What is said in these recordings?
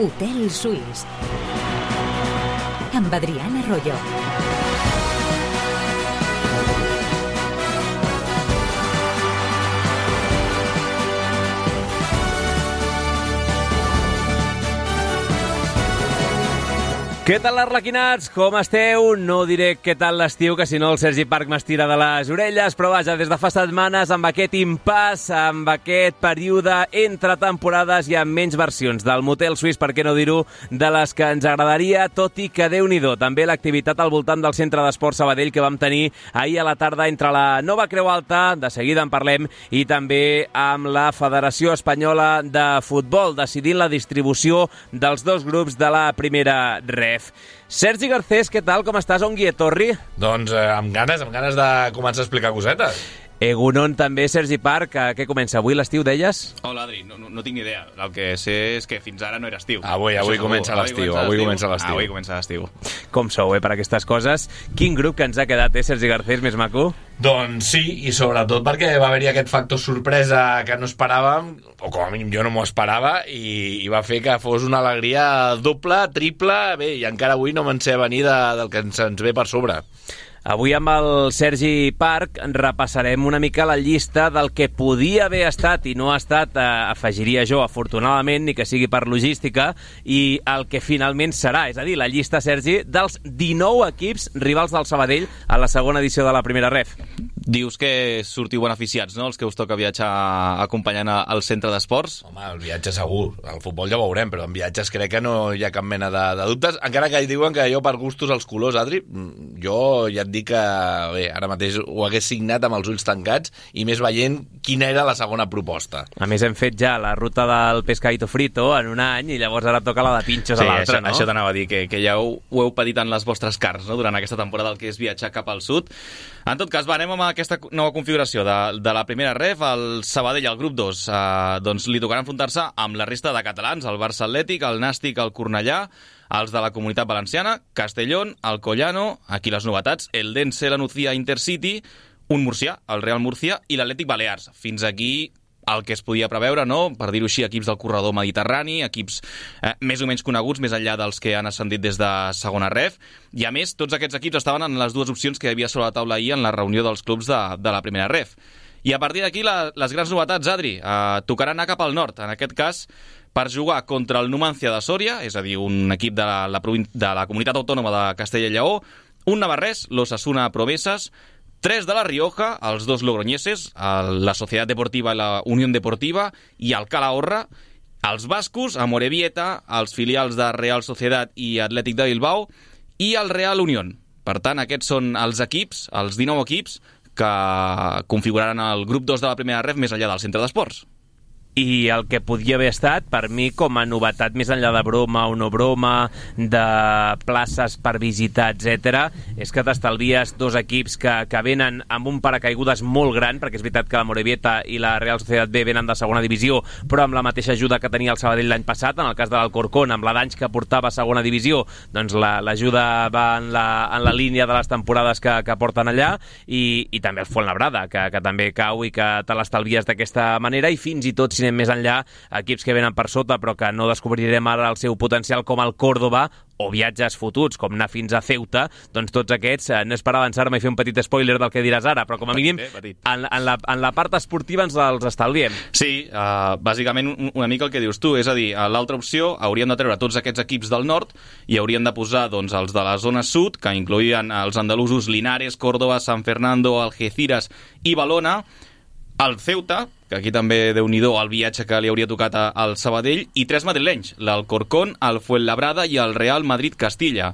Hotel Suís amb Adrián Arroyo. Què tal, arlequinats? Com esteu? No diré què tal l'estiu, que si no el Sergi Parc m'estira de les orelles, però vaja, des de fa setmanes, amb aquest impàs, amb aquest període entre temporades i amb menys versions del Motel Suís, per què no dir-ho, de les que ens agradaria, tot i que Déu-n'hi-do. També l'activitat al voltant del Centre d'Esport Sabadell que vam tenir ahir a la tarda entre la Nova Creu Alta, de seguida en parlem, i també amb la Federació Espanyola de Futbol, decidint la distribució dels dos grups de la primera ref. Sergi Garcés, què tal? Com estàs? On guietorri? Doncs amb ganes de començar a explicar cosetes. Egunon també, Sergi Parc. Què comença? Avui l'estiu, deies? Hola, Adri. No tinc ni idea. El que sé és que fins ara no era estiu. Avui comença l'estiu. Avui comença l'estiu. Com sou, per aquestes coses? Quin grup que ens ha quedat, Sergi Garcés, més maco? Doncs sí, i sobretot perquè va haver-hi aquest factor sorpresa que no esperàvem, o com a mínim jo no m'ho esperava, i va fer que fos una alegria doble, triple, bé, i encara avui no me'n sé venir del que ens ve per sobre. Avui amb el Sergi Parc repassarem una mica la llista del que podia haver estat i no ha estat, afegiria jo, afortunadament, ni que sigui per logística, i el que finalment serà, és a dir, la llista, Sergi, dels 19 equips rivals del Sabadell a la segona edició de la primera ref. Dius que sortiu beneficiats, no?, els que us toca viatjar acompanyant al centre d'esports? Home, el viatge segur, el futbol ja ho veurem, però en viatges crec que no hi ha cap mena de dubtes, encara que diuen que jo per gustos els colors, Adri, jo ja et dic que bé, ara mateix ho hagués signat amb els ulls tancats i més veient quina era la segona proposta. A més, hem fet ja la ruta del pescadito frito en un any i llavors ara toca la de pinxos a l'altre, no? Això t'anava a dir, que ja ho heu patit en les vostres carns, no?, durant aquesta temporada, el que és viatjar cap al sud. En tot cas, anem amb aquesta nova configuració de la primera ref. El Sabadell, el grup 2, doncs li tocarà enfrontar-se amb la resta de catalans, el Barça Atlètic, el Nàstic, el Cornellà, els de la Comunitat Valenciana, Castellón, el Collano, aquí les novetats, el Dense, la Nucía, Intercity, un murcià, el Real Murcia, i l'Atlètic Balears. Fins aquí el que es podia preveure, no?, per dir-ho així, equips del corredor mediterrani, equips més o menys coneguts, més enllà dels que han ascendit des de segona ref, i a més, tots aquests equips estaven en les dues opcions que hi havia sobre la taula ahir en la reunió dels clubs de la primera ref. I a partir d'aquí, les grans novetats, Adri, tocarà anar cap al nord, en aquest cas, per jugar contra el Numancia de Sòria, és a dir, un equip de la comunitat autònoma de Castella i Lleó, un navarrès, l'Osasuna Proveses, 3 de la Rioja, els 2 logroñeses, la Societat Deportiva i la Unió Deportiva, i el Calahorra, els bascos, Amorebieta, els filials de Real Societat i Atlètic de Bilbao, i el Real Unión. Per tant, aquests són els equips, els 19 equips, que configuraran el grup 2 de la primera ref més enllà del centre d'esports. I el que podia haver estat, per mi, com a novetat, més enllà de broma o no broma, de places per visitar, etc., és que t'estalvies dos equips que venen amb un paracaigudes molt gran, perquè és veritat que la Morevieta i la Real Societat B venen de segona divisió, però amb la mateixa ajuda que tenia el Sabadell l'any passat, en el cas de l'Alcorcón, amb la d'anys que portava a segona divisió, doncs l'ajuda va en la línia de les temporades que porten allà, i també el Fuenlabrada, que també cau i que te l'estalvies d'aquesta manera, i fins i tot, si anem més enllà, equips que venen per sota però que no descobrirem ara el seu potencial, com el Córdoba, o viatges fotuts, com anar fins a Ceuta, doncs tots aquests, no és per avançar-me i fer un petit spoiler del que diràs ara, però com a mínim en la part esportiva ens els estalviem. Sí, bàsicament una mica el que dius tu, és a dir, l'altra opció hauríem de treure tots aquests equips del nord i hauríem de posar doncs, els de la zona sud, que incloïen els andalusos Linares, Córdoba, San Fernando, Algeciras i Valona, el Ceuta, que aquí també, Déu-n'hi-do, el viatge que li hauria tocat al Sabadell, i 3 madrilenys, l'Alcorcón, el Fuenlabrada i el Real Madrid-Castilla.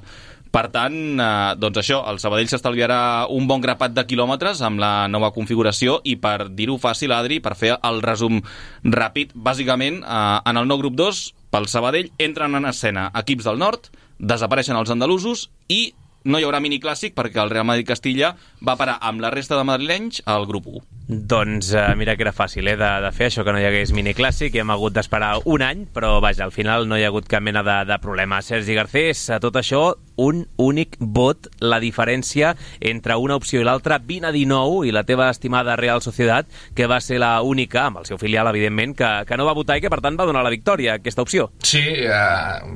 Per tant, doncs això, el Sabadell s'estalviarà un bon grapat de quilòmetres amb la nova configuració, i per dir-ho fàcil, Adri, per fer el resum ràpid, bàsicament, en el nou grup 2, pel Sabadell, entren en escena equips del nord, desapareixen els andalusos i no hi haurà miniclàssic perquè el Real Madrid-Castilla va parar amb la resta de madrilenys al grup 1. Doncs mira que era fàcil de fer això, que no hi hagués miniclàssic, i hem hagut d'esperar un any, però vaja, al final no hi ha hagut cap mena de problema. Sergi Garcés, a tot això, un únic vot la diferència entre una opció i l'altra, 20-19, i la teva estimada Real Sociedad, que va ser la única, amb el seu filial, evidentment, que no va votar i que, per tant, va donar la victòria a aquesta opció. Sí,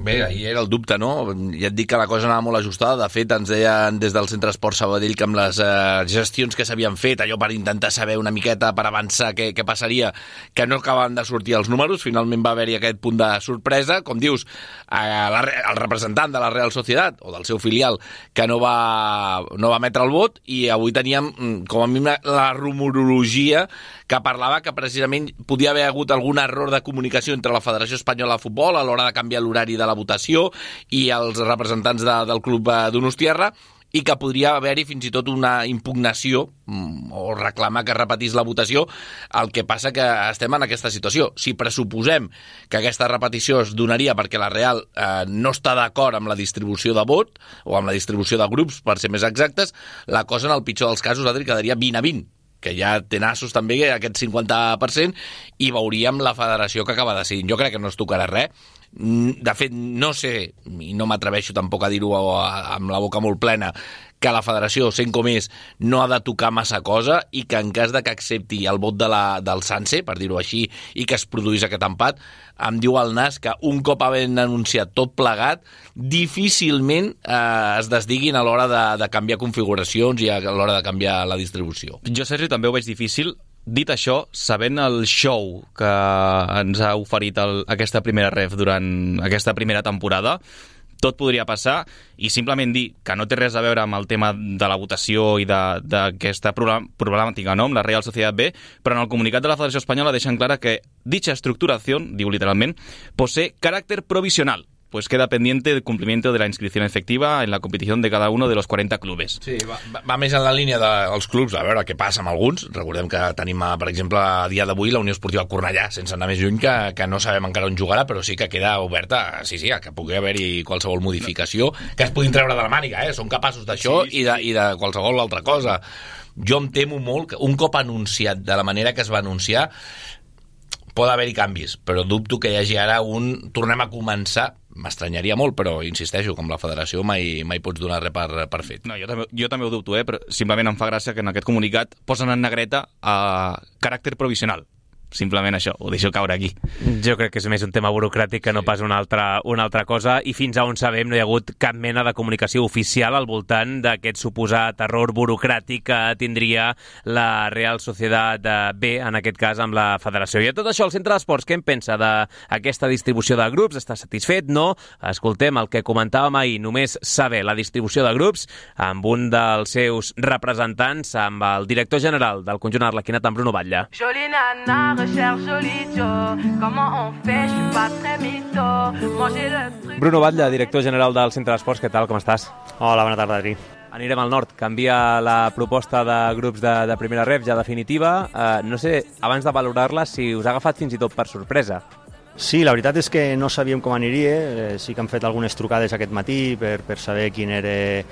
bé, ahir era el dubte, no? Ja et dic que la cosa anava molt ajustada. De fet, ens deien des del Centre Esport Sabadell que amb les gestions que s'havien fet, allò per intentar saber una miqueta, per avançar què passaria, que no acabaven de sortir els números. Finalment va haver-hi aquest punt de sorpresa, com dius, el representant de la Real Sociedad o del seu filial que no va emetre el vot, i avui teníem com a mínim la rumorologia que parlava que precisament podia haver hagut algun error de comunicació entre la Federació Espanyola de Futbol a l'hora de canviar l'horari de la votació i els representants del club donostiarra, i que podria haver-hi fins i tot una impugnació o reclamar que es repetís la votació. El que passa que estem en aquesta situació. Si pressuposem que aquesta repetició es donaria perquè la Real no està d'acord amb la distribució de vot, o amb la distribució de grups, per ser més exactes, la cosa en el pitjor dels casos, Adri, quedaria 20-20, que ja té nassos també aquest 50%, i veuríem la federació que acaba decidint. Jo crec que no es tocarà res. De fet, no sé, i no m'atreveixo tampoc a dir-ho amb la boca molt plena, que la federació, sent com és, no ha de tocar massa cosa, i que en cas de que accepti el vot del Sanse, per dir-ho així, i que es produís aquest empat, em diu el nas que un cop havent anunciat tot plegat, difícilment es desdiguin a l'hora de canviar configuracions i a l'hora de canviar la distribució. Jo, Sergi, també ho veig difícil. Dit això, sabent el show que ens ha oferit aquesta primera ref durant aquesta primera temporada, tot podria passar, i simplement dir que no té res a veure amb el tema de la votació i d'aquesta problemàtica, no?, amb la Real Sociedad B, però en el comunicat de la Federació Espanyola deixen clara que dicha estructuración, diu literalment, posee carácter provisional, pues queda pendiente el cumplimiento de la inscripción efectiva en la competición de cada uno de los 40 clubes. Sí, va més en la línia dels clubs, a veure què passa amb alguns. Recordem que tenim, per exemple, a dia d'avui la Unió Esportiva Cornellà, sense anar més lluny, que no sabem encara on jugarà, però sí que queda oberta, sí, que pugui haver-hi qualsevol modificació, que es puguin treure de la màniga, són capaços d'això, sí. I de qualsevol altra cosa. Jo em temo molt que un cop anunciat de la manera que es va anunciar, pot haver-hi canvis, però dubto que hi hagi ara tornem a començar. M'estranyaria molt, però insisteixo, com la federació mai pots donar res per fet. No, jo també ho dubto, però simplement em fa gràcia que en aquest comunicat posen en negreta caràcter provisional. Simplement això, ho deixo caure aquí. Jo crec que és més un tema burocràtic que no pas una altra cosa, i fins a on sabem no hi ha hagut cap mena de comunicació oficial al voltant d'aquest suposat error burocràtic que tindria la Real Sociedad B, en aquest cas amb la federació. I a tot això, el Centre d'Esports, què en pensa d'aquesta distribució de grups? Està satisfet? No? Escoltem el que comentàvem ahir, només saber la distribució de grups, amb un dels seus representants, amb el director general del conjunt arlequinat, amb Bruno Batlle. Jolie nana, recherche joli Joe. Comment on fait? Je suis pas très mytho. Manger le truc. Bruno Batlle, director general del Centre d'Esports, què tal, com estàs? Hola, bona tarda, Adri. Anirem al nord. Canvia la proposta de grups de primera ref, ja definitiva. No sé, abans de valorar-la, si us ha agafat fins i tot per sorpresa. Sí, la veritat és que no sabíem com aniria. Sí que hem fet algunes trucades aquest matí per saber quina era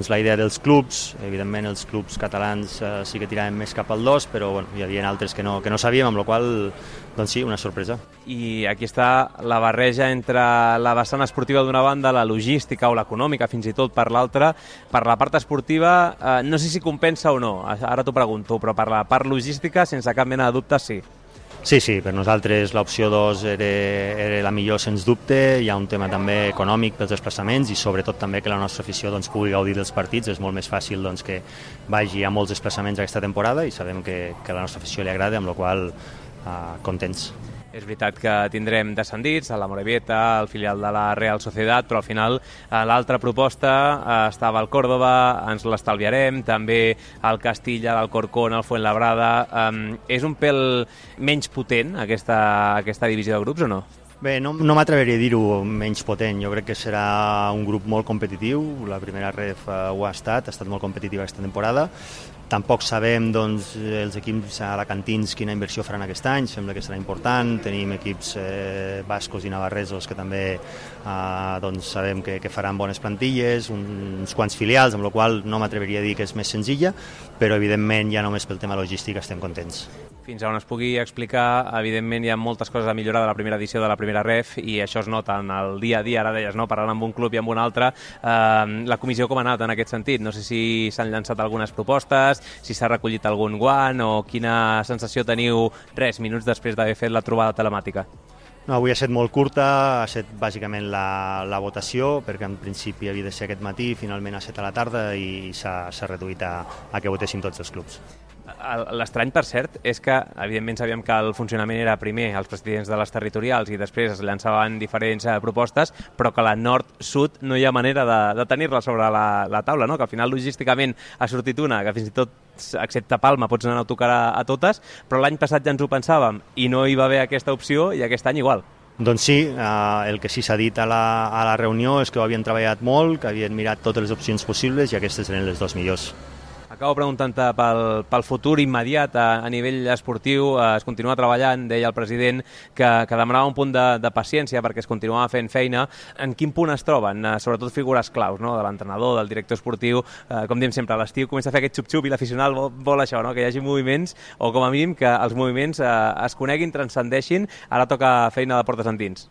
la idea dels clubs. Evidentment, els clubs catalans sí que tiraven més cap al 2, però hi havia altres que no sabíem, amb la qual cosa, sí, una sorpresa. I aquí està la barreja entre la vessant esportiva d'una banda, la logística o l'econòmica, fins i tot per l'altra. Per la part esportiva, no sé si compensa o no, ara t'ho pregunto, però per la part logística, sense cap mena de dubte, sí. Sí, per nosaltres l'opció 2 era la millor, sens dubte. Hi ha un tema també econòmic pels desplaçaments i sobretot també que la nostra afició pugui gaudir dels partits. És molt més fàcil que vagi a molts desplaçaments aquesta temporada i sabem que a la nostra afició li agrada, amb la qual cosa contents. És veritat que tindrem descendits, a la Morevieta, el filial de la Real Sociedad, però al final l'altra proposta estava al Córdoba, ens l'estalviarem, també al Castilla, l'Alcorcón, el Fuenlabrada. És un pèl menys potent aquesta divisió de grups o no? Bé, no m'atreveria a dir-ho menys potent. Jo crec que serà un grup molt competitiu. La primera ref ho ha estat molt competitiva aquesta temporada. Tampoc sabem doncs, els equips alacantins quina inversió faran aquest any, sembla que serà important. Tenim equips bascos i navarresos que també doncs, sabem que faran bones plantilles, uns quants filials, amb la qual no m'atreviria a dir que és més senzilla, però evidentment ja només pel tema logístic estem contents. Fins on es pugui explicar, evidentment hi ha moltes coses a millorar de la primera edició de la primera ref i això es nota en el dia a dia, ara deies, no? Parlant amb un club i amb un altre. La comissió com ha anat en aquest sentit? No sé si s'han llançat algunes propostes, si s'ha recollit algun guant o quina sensació teniu minuts després d'haver fet la trobada telemàtica. No, avui ha estat molt curta, ha estat bàsicament la votació, perquè en principi havia de ser aquest matí, finalment ha estat a la tarda i s'ha reduït a que votessin tots els clubs. L'estrany, per cert, és que evidentment sabíem que el funcionament era primer els presidents de les territorials i després es llançaven diferents propostes, però que la nord-sud no hi ha manera de tenir-la sobre la taula, no? Que al final logísticament ha sortit una, que fins i tot excepte Palma pots anar a tocar a totes, però l'any passat ja ens ho pensàvem i no hi va haver aquesta opció i aquest any igual. Doncs sí, el que sí s'ha dit a la reunió és que ho havien treballat molt, que havien mirat totes les opcions possibles i aquestes eren les dues millors. Acabo preguntant-te pel futur immediat a nivell esportiu. Es continua treballant, deia el president, que demanava un punt de paciència perquè es continuava fent feina. En quin punt es troben? Sobretot figures claus, no? De l'entrenador, del director esportiu. Com diem sempre, a l'estiu comença a fer aquest xup-xup i l'aficionat vol això, no? Que hi hagi moviments, o com a mínim que els moviments es coneguin, transcendeixin. Ara toca feina de portes endins.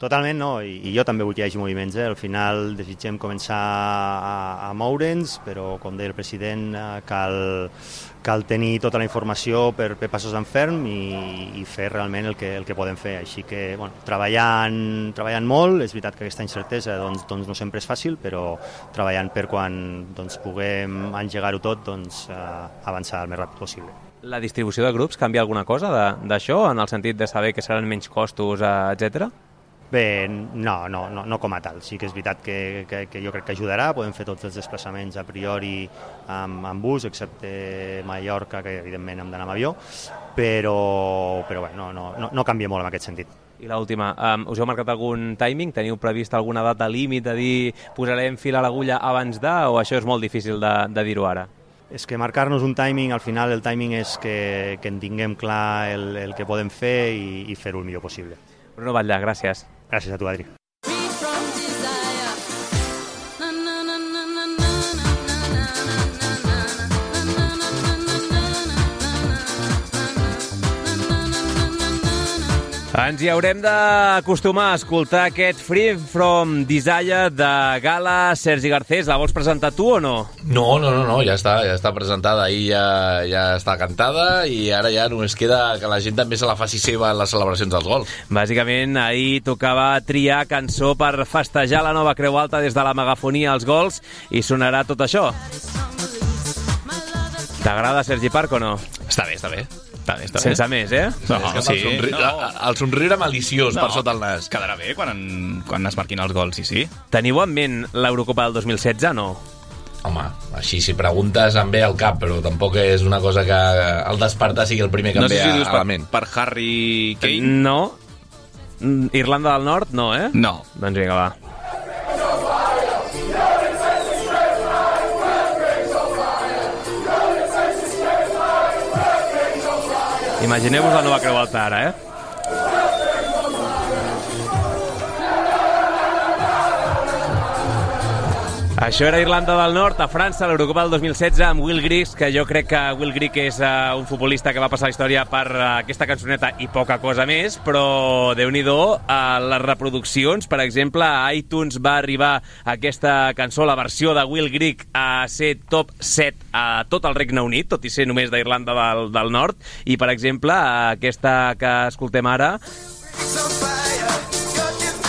Totalment, no, i jo també vull que hi hagi moviments. Al final desitgem començar a moure'ns, però com deia el president, cal tenir tota la informació per passos en ferm i fer realment el que podem fer. Així que, bueno, treballant molt, és veritat que aquesta incertesa doncs no sempre és fàcil, però treballant per quan puguem engegar-ho tot, avançar el més ràpid possible. La distribució de grups canvia alguna cosa d'això, en el sentit de saber que seran menys costos, etcètera? Bé, no com a tal. Sí que és veritat que jo crec que ajudarà. Podem fer tots els desplaçaments a priori amb bus, excepte Mallorca, que evidentment hem d'anar amb avió, però bé, no canvia molt en aquest sentit. I l'última, us heu marcat algun timing? Teniu previst alguna data límit de dir posarem fil a l'agulla abans o això és molt difícil de dir-ho ara? És que marcar-nos un timing, al final el timing és que en tinguem clar el que podem fer i fer-ho el millor possible. Bruno Batlle, gràcies. Gràcies a tu, Adri. Ens hi haurem d'acostumar a escoltar aquest Free From Desire de Gala. Sergi Garcés, la vols presentar tu o no? No, ja està presentada, ahir ja està cantada i ara ja només queda que la gent també se la faci seva en les celebracions dels gols. Bàsicament, ahir tocava triar cançó per festejar la nova Creu Alta des de la megafonia als gols i sonarà tot això. T'agrada Sergi Parc o no? Està bé. Sense més, eh? No, sí. El somriure maliciós per sota el nas. Quedarà bé quan es marquin els gols, sí. Teniu en ment l'Eurocopa del 2016, no? Home, així si preguntes em ve al cap, però tampoc és una cosa que al despertar sigui el primer que em ve a la ment. Per Harry Kane? No. Irlanda del Nord, no, eh? No. Doncs vinga, va. Imagineu-vos la nova Creu Alta ara, eh? Això era Irlanda del Nord, a França, l'Eurocopa del 2016, amb Will Grigg, que jo crec que Will Grigg és un futbolista que va passar la història per aquesta cançoneta i poca cosa més, però Déu-n'hi-do, les reproduccions, per exemple, a iTunes va arribar aquesta cançó, la versió de Will Grigg, a ser top 7 a tot el Regne Unit, tot i ser només d'Irlanda del Nord, i, per exemple, aquesta que escoltem ara,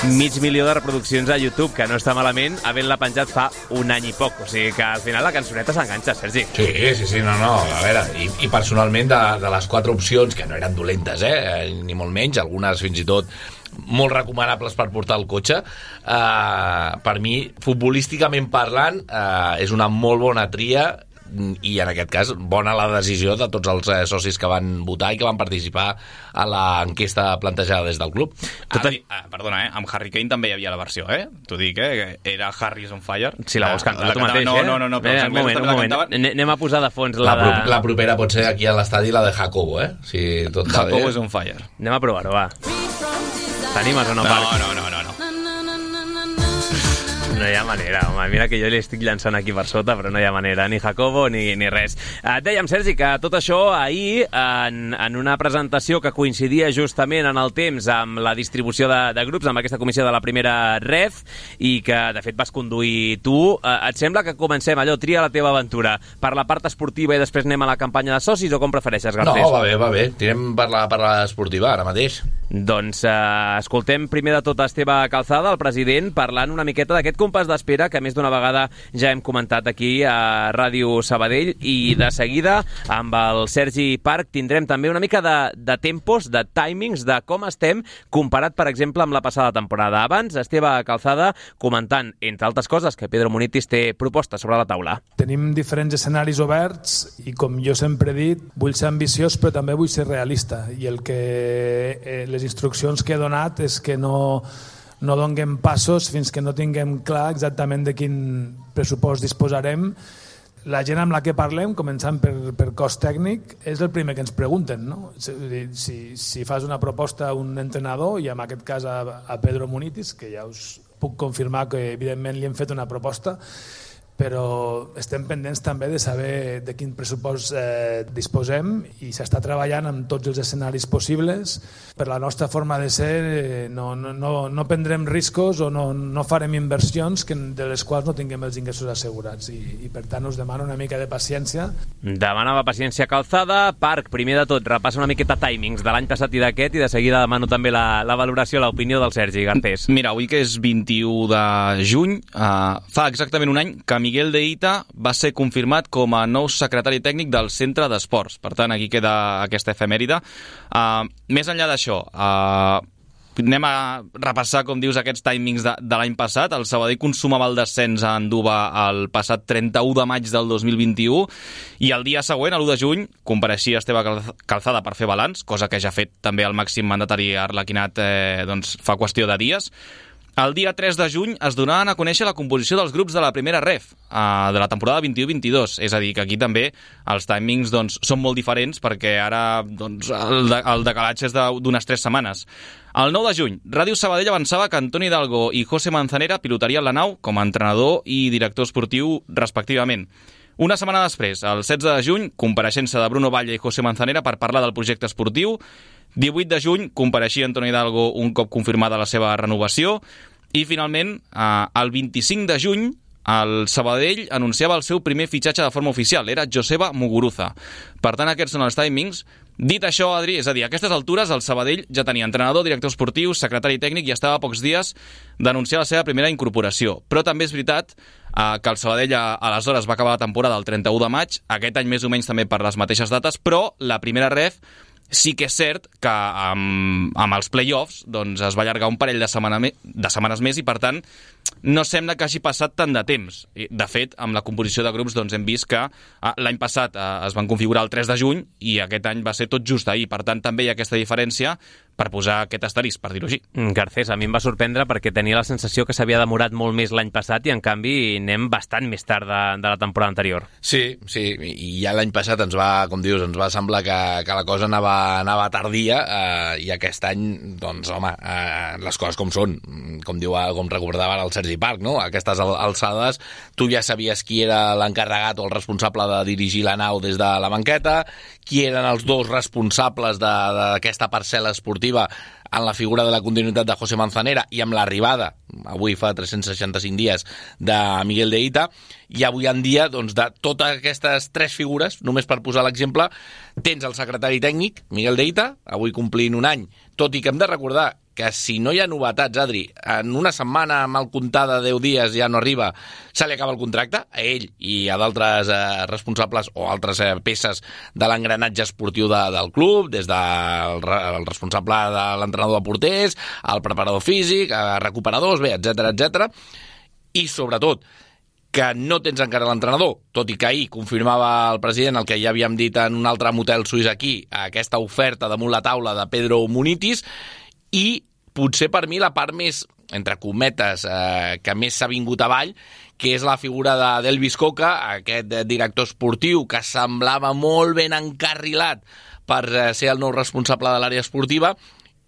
500.000 de reproduccions a YouTube, que no està malament, havent-la penjat fa un any i poc. O sigui que al final la cançoneta s'enganxa, Sergi. Sí, no. A veure, i personalment de les 4 opcions, que no eren dolentes, ni molt menys, algunes fins i tot molt recomanables per portar el cotxe, per mi, futbolísticament parlant, és una molt bona tria i en aquest cas bona la decisió de tots els socis que van votar i que van participar a l'enquesta plantejada des del club. Perdona, amb Harry Kane també hi havia la versió, t'ho dic, que era Harry is on fire. Si la vols cantar tu mateix, No, un moment. Anem a posar de fons la propera pot ser aquí a l'estadi la de Jacobo, si tot va bé. Jacobo is on fire. Anem a provar-ho, va. T'animes o no, Parc? No. No hi ha manera, home. Mira que jo li estic llançant aquí per sota, però no hi ha manera, ni Jacobo ni res. Et dèiem, Sergi, que tot això ahir, en una presentació que coincidia justament en el temps amb la distribució de grups, amb aquesta comissió de la primera ref, i que, de fet, vas conduir tu, et sembla que comencem allò, tria la teva aventura, per la part esportiva i després anem a la campanya de socis, o com prefereixes, Garcés? No, va bé. Tirem per la esportiva, ara mateix. Doncs escoltem primer de tot Esteve Calzada, el president, parlant una miqueta d'aquest compàs d'espera que més d'una vegada ja hem comentat aquí a Ràdio Sabadell, i de seguida amb el Sergi Parc tindrem també una mica de tempos, de timings, de com estem comparat, per exemple, amb la passada temporada. Abans, Esteve Calzada comentant, entre altres coses, que Pedro Munitis té propostes sobre la taula. Tenim diferents escenaris oberts i, com jo sempre he dit, vull ser ambiciós però també vull ser realista, i el que les instruccions que he donat és que no donem passos fins que no tinguem clar exactament de quin pressupost disposarem. La gent amb la que parlem, començant per cost tècnic, és el primer que ens pregunten, no? Si fas una proposta a un entrenador, i en aquest cas a Pedro Munitis, que ja us puc confirmar que evidentment li hem fet una proposta, però estem pendents també de saber de quin pressupost disposem, i s'està treballant amb tots els escenaris possibles. Per la nostra forma de ser no prendrem riscos o no farem inversions de les quals no tinguem els ingressos assegurats, i per tant us demano una mica de paciència. Demanava paciència Calzada. Parc, primer de tot, repassa una miqueta timings de l'any passat i d'aquest, i de seguida demano també la valoració, l'opinió del Sergi Garcés. Mira, avui que és 21 de juny, fa exactament un any que Miguel de Ita va ser confirmat com a nou secretari tècnic del Centre d'Esports. Per tant, aquí queda aquesta efemèride. Més enllà d'això, anem a repassar, com dius, aquests timings de l'any passat. El Sabadell consumava el descens a Anduva el passat 31 de maig del 2021, i el dia següent, l'1 de juny, compareixia Esteve Calzada per fer balanç, cosa que ja ha fet també el màxim mandatari arlequinat fa qüestió de dies. El dia 3 de juny es donaven a conèixer la composició dels grups de la primera ref de la temporada 21-22, és a dir, que aquí també els timings són molt diferents, perquè ara el decalatge és d'unes 3 setmanes. El 9 de juny, Ràdio Sabadell avançava que Antoni Hidalgo i José Manzanera pilotarien la nau com a entrenador i director esportiu respectivament. Una setmana després, el 16 de juny, compareixença de Bruno Batlle i José Manzanera per parlar del projecte esportiu. 18 de juny, compareixia Antoni Hidalgo un cop confirmada la seva renovació. I, finalment, el 25 de juny, el Sabadell anunciava el seu primer fitxatge de forma oficial. Era Joseba Muguruza. Per tant, aquests són els timings. Dit això, Adri, és a dir, a aquestes altures el Sabadell ja tenia entrenador, director esportiu, secretari tècnic, i estava a pocs dies d'anunciar la seva primera incorporació. Però també és veritat que el Sabadell aleshores va acabar la temporada el 31 de maig, aquest any més o menys també per les mateixes dates, però la primera ref sí que és cert que amb els play-offs es va allargar un parell de setmanes més, i per tant no sembla que hagi passat tant de temps. De fet, amb la composició de grups hem vist que l'any passat es van configurar el 3 de juny i aquest any va ser tot just ahir. Per tant, també hi ha aquesta diferència per posar aquest asterisc, per dir-ho així. Garcés, a mi em va sorprendre perquè tenia la sensació que s'havia demorat molt més l'any passat, i en canvi anem bastant més tard de la temporada anterior. Sí, i ja l'any passat ens va, com dius, ens va semblar que la cosa anava tardia, i aquest any, home, les coses com són, com recordava el Sergi Parc, no? A aquestes alçades tu ja sabies qui era l'encarregat o el responsable de dirigir la nau des de la banqueta, qui eren els dos responsables d'aquesta parcel·la esportiva en la figura de la continuïtat de José Manzanera, i amb l'arribada, avui fa 365 dies, de Miguel de Ita, i avui en dia, de totes aquestes 3 figures, només per posar l'exemple, tens el secretari tècnic, Miguel de Ita, avui complint un any, tot i que hem de recordar que si no hi ha novetats, Adri, en una setmana mal comptada, 10 dies, ja no arriba, se li acaba el contracte, a ell i a d'altres responsables o altres peces de l'engranatge esportiu del club, des del responsable de l'entrenador de porters, el preparador físic, recuperadors, etc. I, sobretot, que no tens encara l'entrenador, tot i que ahir confirmava el president el que ja havíem dit en un altre motel suís aquí, aquesta oferta damunt la taula de Pedro Munitis, i potser per mi la part més, entre cometes, que més s'ha vingut avall, que és la figura d'Elvis Coca, aquest director esportiu que semblava molt ben encarrilat per ser el nou responsable de l'àrea esportiva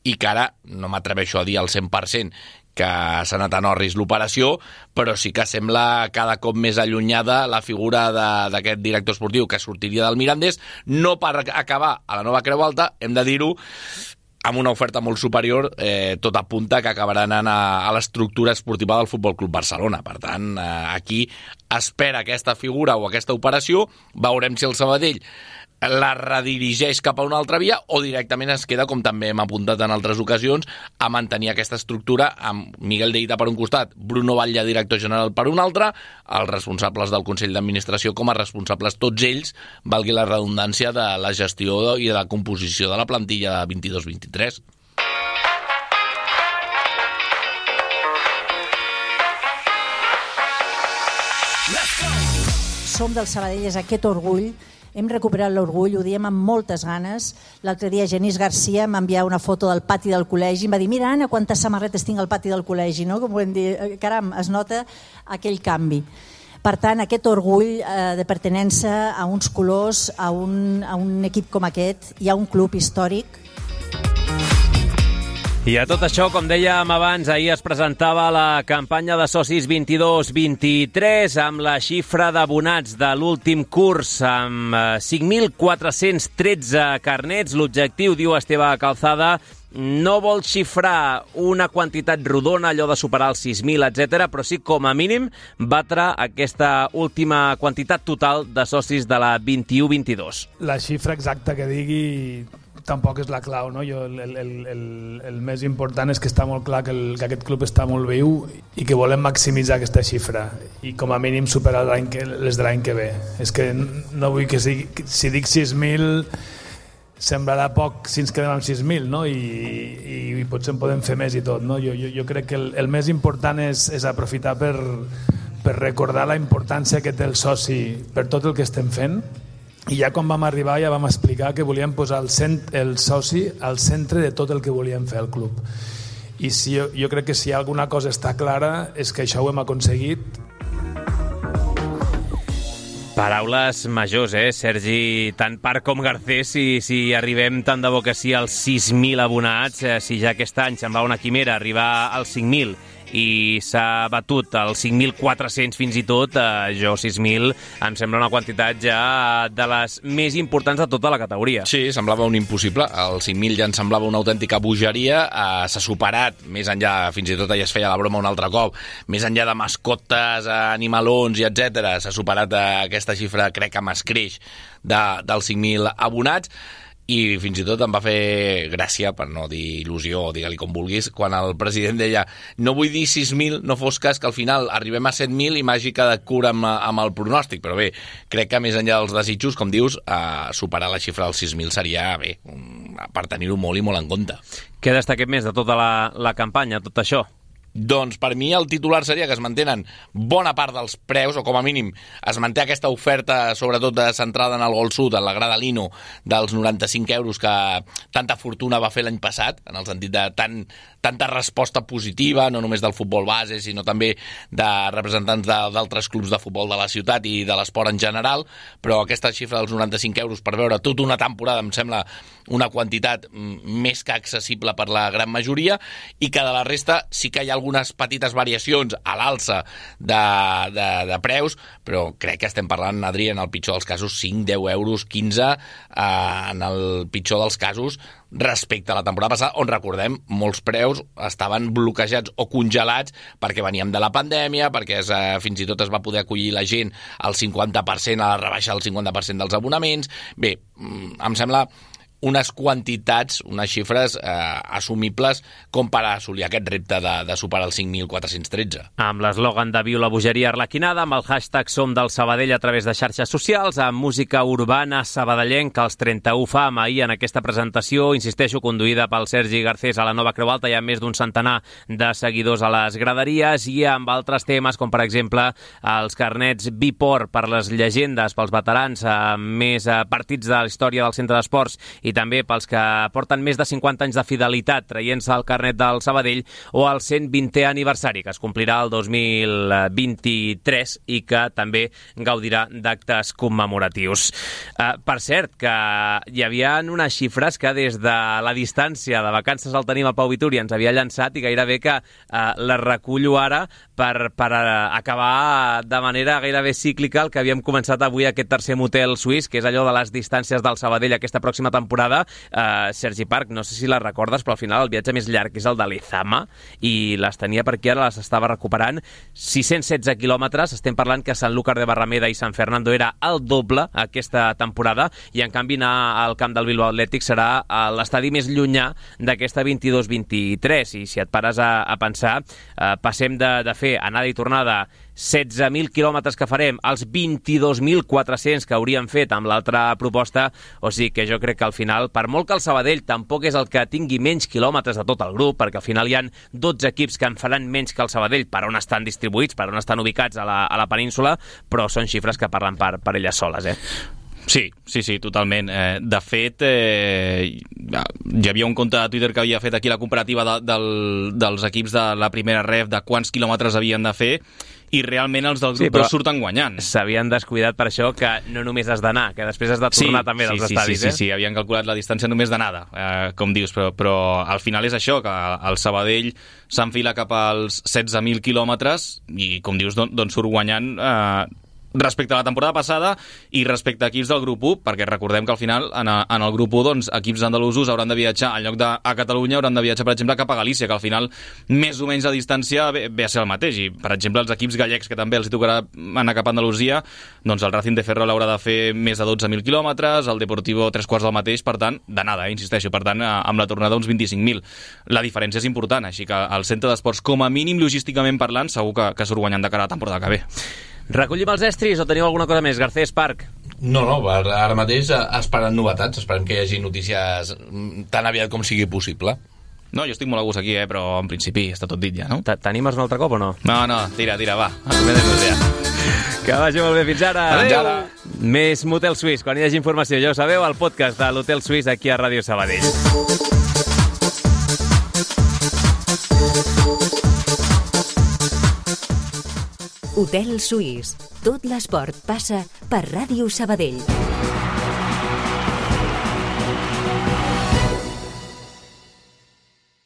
i que ara no m'atreveixo a dir al 100% que s'ha anat a Norris l'operació, però sí que sembla cada cop més allunyada la figura d'aquest director esportiu que sortiria del Mirandés, no per acabar a la nova Creu Alta, hem de dir-ho, amb una oferta molt superior, tot apunta que acabarà anant a l'estructura esportiva del Futbol Club Barcelona. Per tant, aquí espera aquesta figura o aquesta operació, veurem si el Sabadell la redirigeix cap a una altra via o directament es queda, com també hem apuntat en altres ocasions, a mantenir aquesta estructura amb Miguel de Ita per un costat, Bruno Batlle, director general, per un altre, els responsables del Consell d'Administració com a responsables tots ells, valgui la redundància, de la gestió i de la composició de la plantilla 22-23. Som del Sabadell, és aquest orgull. Hem recuperat l'orgull, ho diem amb moltes ganes. L'altre dia Genís Garcia m'enviava una foto del pati del col·legi i em va dir, mira, Anna, quantes samarretes tinc al pati del col·legi, no? Com podem dir, caram, es nota aquell canvi. Per tant, aquest orgull de pertinença a uns colors, a un equip com aquest i a un club històric. I a tot això, com dèiem abans, ahir es presentava la campanya de socis 22-23 amb la xifra d'abonats de l'últim curs amb 5.413 carnets. L'objectiu, diu Esteve Calzada, no vol xifrar una quantitat rodona, allò de superar els 6.000, etc., però sí, com a mínim, batre aquesta última quantitat total de socis de la 21-22. La xifra exacta que digui tampoc és la clau, no? El més important és que està molt clar que aquest club està molt viu i que volem maximitzar aquesta xifra i com a mínim superar les de l'any que ve. És que no vull que si dic 6.000 semblarà poc si ens quedem amb 6.000, no? I potser en podem fer més i tot, no? Jo crec que el més important és aprofitar per recordar la importància que té el soci per tot el que estem fent. I ja quan vam arribar ja vam explicar que volíem posar el soci al centre de tot el que volíem fer al club. I jo crec que si alguna cosa està clara és que això ho hem aconseguit. Paraules majors, Sergi? Tant Parc com Garcés, si arribem tant de bo que sí als 6.000 abonats, si ja aquest any semblava una quimera arribar als 5.000 i s'ha batut als 5.400 fins i tot, jo 6.000 em sembla una quantitat ja de les més importants de tota la categoria. Sí, semblava un impossible, els 5.000 ja em semblava una autèntica bogeria, s'ha superat, més enllà, fins i tot ja es feia la broma un altre cop, més enllà de mascotes, animalons i etc, s'ha superat aquesta xifra, crec que m'escreix, dels 5.000 abonats. I fins i tot em va fer gràcia, per no dir il·lusió, o digue-li com vulguis, quan el president deia no vull dir 6.000, no fos cas que al final arribem a 7.000 i m'hagi quedat cura amb el pronòstic, però bé, crec que més enllà dels desitjos, com dius, superar la xifra dels 6.000 seria bé, per tenir-ho molt i molt en compte. Què destaquem més de tota la campanya, tot això? Doncs per mi el titular seria que es mantenen bona part dels preus, o com a mínim es manté aquesta oferta, sobretot centrada en el Gol Sud, en la grada Lino, dels 95 euros que tanta fortuna va fer l'any passat, en el sentit de tanta resposta positiva, no només del futbol base, sinó també de representants d'altres clubs de futbol de la ciutat i de l'esport en general, però aquesta xifra dels 95 euros per veure tota una temporada em sembla una quantitat més que accessible per la gran majoria, i que de la resta sí que hi ha algunes petites variacions a l'alça de preus, però crec que estem parlant, Adri, en el pitjor dels casos 5, 10 euros, 15 en el pitjor dels casos respecte a la temporada passada, on recordem molts preus estaven bloquejats o congelats perquè veníem de la pandèmia, perquè fins i tot es va poder acollir la gent al 50%, a la rebaixa del 50% dels abonaments. Bé, em sembla unes quantitats, unes xifres assumibles com per assolir aquest repte de superar els 5.413. Amb l'eslògan de Viu la bogeria arlequinada, amb el hashtag Som del Sabadell a través de xarxes socials, amb música urbana sabadellenca, els 31 fam ahir en aquesta presentació, insisteixo, conduïda pel Sergi Garcés a la Nova Creu Alta, hi ha més d'un centenar de seguidors a les graderies, i amb altres temes, com per exemple els carnets Bipor per les llegendes, pels veterans, més partits de la història del centre d'esports, i també pels que porten més de 50 anys de fidelitat traient-se el carnet del Sabadell, o el 120è aniversari, que es complirà el 2023 i que també gaudirà d'actes commemoratius. Per cert, que hi havia unes xifres que des de la distància de vacances al tenim al Pau Vituri ens havia llançat, i gairebé que les recullo ara per acabar de manera gairebé cíclica el que havíem començat avui, aquest tercer motel suís, que és allò de les distàncies del Sabadell aquesta pròxima temporada. Sergi Parc, no sé si les recordes, però al final el viatge més llarg és el de l'Ezama, i les tenia per aquí, ara les estava recuperant. 616 quilòmetres, estem parlant que Sanlúcar de Barrameda i San Fernando era el doble aquesta temporada, i en canvi anar al camp del Bilbao Atlètic serà l'estadi més llunyà d'aquesta 22-23, i si et pares a pensar, passem de fer anada i tornada 16.000 quilòmetres que farem als 22.400 que hauríem fet amb l'altra proposta, o sigui que jo crec que al final, per molt que el Sabadell tampoc és el que tingui menys quilòmetres de tot el grup, perquè al final hi ha 12 equips que en faran menys que el Sabadell per on estan distribuïts, per on estan ubicats a la península, però són xifres que parlen per elles soles, Sí, totalment. De fet, hi havia un compte de Twitter que havia fet aquí la comparativa dels equips de la primera ref, de quants quilòmetres havien de fer, i realment els del grup 2 surten guanyant. S'havien descuidat per això que no només has d'anar, que després has de tornar també dels estadis. Sí, havien calculat la distància només d'anada, com dius, però al final és això, que el Sabadell s'enfila cap als 16.000 quilòmetres i, com dius, doncs surt guanyant respecte a la temporada passada i respecte a equips del grup 1, perquè recordem que al final en el grup 1 doncs, equips andalusos hauran de viatjar, en lloc a Catalunya hauran de viatjar, per exemple, cap a Galícia, que al final més o menys la distància ve a ser el mateix, i per exemple els equips gallecs, que també els tocarà anar cap a Andalusia, doncs el Racing de Ferrol haurà de fer més de 12.000 quilòmetres, el Deportivo 3/4 del mateix, per tant, d'anada, insisteixo, per tant, amb la tornada uns 25.000. La diferència és important, així que el centre d'esports, com a mínim logísticament parlant, segur que surt guanyant de cara a la temporada que ve. Recollim els estris o teniu alguna cosa més, Garcés, Parc? No, ara mateix esperant novetats, esperem que hi hagi notícies tan aviat com sigui possible. No, jo estic molt a gust aquí, però en principi està tot dit ja, no? T'animes un altre cop o no? No, tira, va. Acomiadem-nos ja. Que vagi molt bé, fins ara. Adéu. Més Motel Suís, quan hi hagi informació, ja ho sabeu, el podcast de l'Hotel Suís aquí a Ràdio Sabadell. Hotel Suís. Tot l'esport passa per Ràdio Sabadell.